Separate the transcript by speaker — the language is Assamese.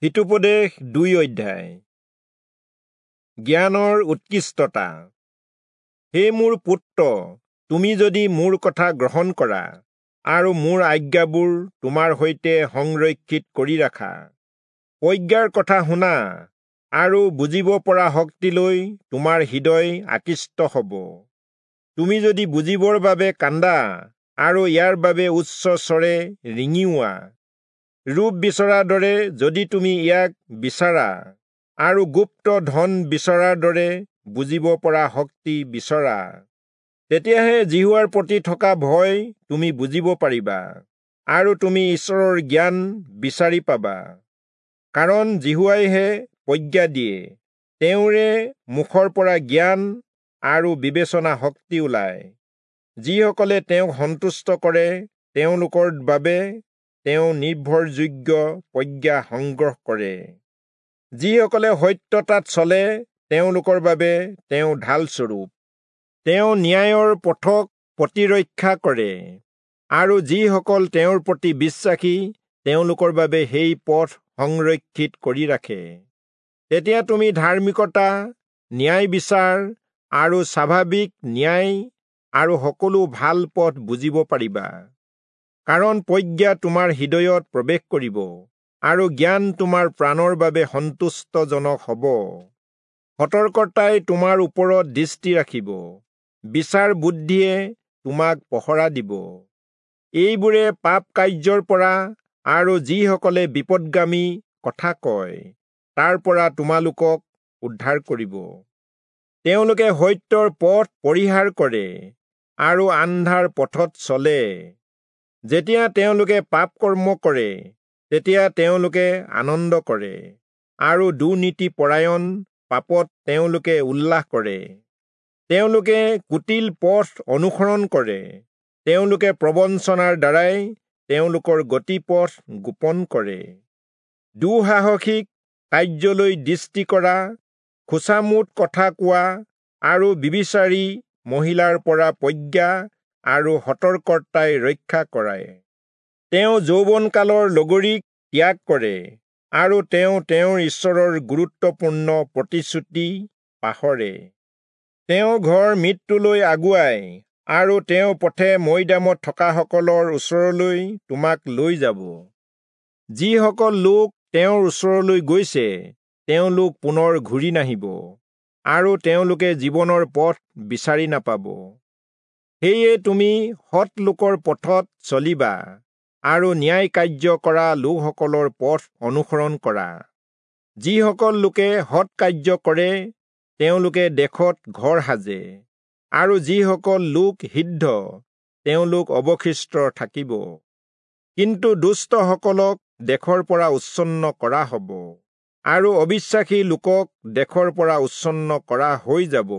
Speaker 1: হিতোপদেশ 2 অধ্যায়। জ্ঞানৰ উৎকৃষ্টতা। হে মোৰ পুত্ৰ, তুমি যদি মোৰ কথা গ্ৰহণ কৰা আৰু মোৰ আজ্ঞাবোৰ তোমাৰ সৈতে সংৰক্ষিত কৰি ৰাখা, প্ৰজ্ঞাৰ কথা শুনা আৰু বুজিব পৰা শক্তিলৈ তোমাৰ হৃদয় আকৃষ্ট হ'ব। তুমি যদি বুজিবৰ বাবে কান্দা আৰু ইয়াৰ বাবে উচ্চ স্বৰে ৰিঙিওৱা, ৰূপ বিচৰাৰ দৰে যদি তুমি ইয়াক বিচাৰা আৰু গুপ্ত ধন বিচৰাৰ দৰে বুজিব পৰা শক্তি বিচৰা, তেতিয়াহে যিহোৱাৰ প্ৰতি থকা ভয় তুমি বুজিব পাৰিবা আৰু তুমি ঈশ্বৰৰ জ্ঞান বিচাৰি পাবা। কাৰণ যিহোৱাইহে প্ৰজ্ঞা দিয়ে, তেওঁৰে মুখৰ পৰা জ্ঞান আৰু বিবেচনা শক্তি ওলায়। যিসকলে তেওঁক সন্তুষ্ট কৰে তেওঁলোকৰ বাবে তেওঁ নিৰ্ভৰযোগ্য প্ৰজ্ঞা সংগ্ৰহ কৰে। যিসকলে সত্যতাত চলে তেওঁলোকৰ বাবে তেওঁ ঢালস্বৰূপ। তেওঁ ন্যায়ৰ পথক প্ৰতিৰক্ষা কৰে আৰু যিসকল তেওঁৰ প্ৰতি বিশ্বাসী তেওঁলোকৰ বাবে সেই পথ সংৰক্ষিত কৰি ৰাখে। তেতিয়া তুমি ধাৰ্মিকতা, ন্যায় বিচাৰ আৰু স্বাভাৱিক ন্যায় আৰু সকলো ভাল পথ বুজিব পাৰিবা। কাৰণ প্ৰজ্ঞা তোমাৰ হৃদয়ত প্ৰৱেশ কৰিব আৰু জ্ঞান তোমাৰ প্ৰাণৰ বাবে সন্তুষ্টজনক হ'ব। সতৰ্কতাই তোমাৰ ওপৰত দৃষ্টি ৰাখিব, বিচাৰ বুদ্ধিয়ে তোমাক পহৰা দিব। এইবোৰে পাপ কাৰ্যৰ পৰা আৰু যিসকলে বিপদগামী কথা কয় তাৰ পৰা তোমালোকক উদ্ধাৰ কৰিব। তেওঁলোকে সত্যৰ পথ পৰিহাৰ কৰে আৰু আন্ধাৰ পথত চলে। যেতিয়া তেওঁলোকে পাপ কৰ্ম কৰে তেতিয়া তেওঁলোকে আনন্দ কৰে আৰু দুৰ্নীতিপৰায়ণ পাপত তেওঁলোকে উল্লাস কৰে। তেওঁলোকে কুটিল পথ অনুসৰণ কৰে, তেওঁলোকে প্ৰবঞ্চনাৰ দ্বাৰাই তেওঁলোকৰ গতিপথ গোপন কৰে। দুঃসাহসিক কাৰ্যলৈ দৃষ্টি কৰা, খোচামোদ কথা কোৱা আৰু বিবিচাৰী মহিলাৰ পৰা প্ৰজ্ঞা আৰু সতৰ্কতাই ৰক্ষা কৰায়। তেওঁ যৌৱনকালৰ লগৰীক ত্যাগ কৰে আৰু তেওঁ তেওঁৰ ঈশ্বৰৰ গুৰুত্বপূৰ্ণ প্ৰতিশ্ৰুতি পাহৰে। তেওঁ ঘৰ মৃত্যুলৈ আগুৱাই আৰু তেওঁ পথে মৈদামত থকাসকলৰ ওচৰলৈ তোমাক লৈ যাব। যিসকল লোক তেওঁৰ ওচৰলৈ গৈছে তেওঁলোক পুনৰ ঘূৰি নাহিব আৰু তেওঁলোকে জীৱনৰ পথ বিচাৰি নাপাব। সেয়ে তুমি সৎ লোকৰ পথত চলিবা আৰু ন্যায় কাৰ্য কৰা লোকসকলৰ পথ অনুসৰণ কৰা। যিসকল লোকে সৎ কাৰ্য কৰে তেওঁলোকে দেশত ঘৰ সাজে আৰু যিসকল লোক সিদ্ধ তেওঁলোক অৱশিষ্ট থাকিব। কিন্তু দুষ্টসকলক দেশৰ পৰা উচ্ছন্ন কৰা হ'ব আৰু অবিশ্বাসী লোকক দেশৰ পৰা উচ্ছন্ন কৰা হৈ যাব।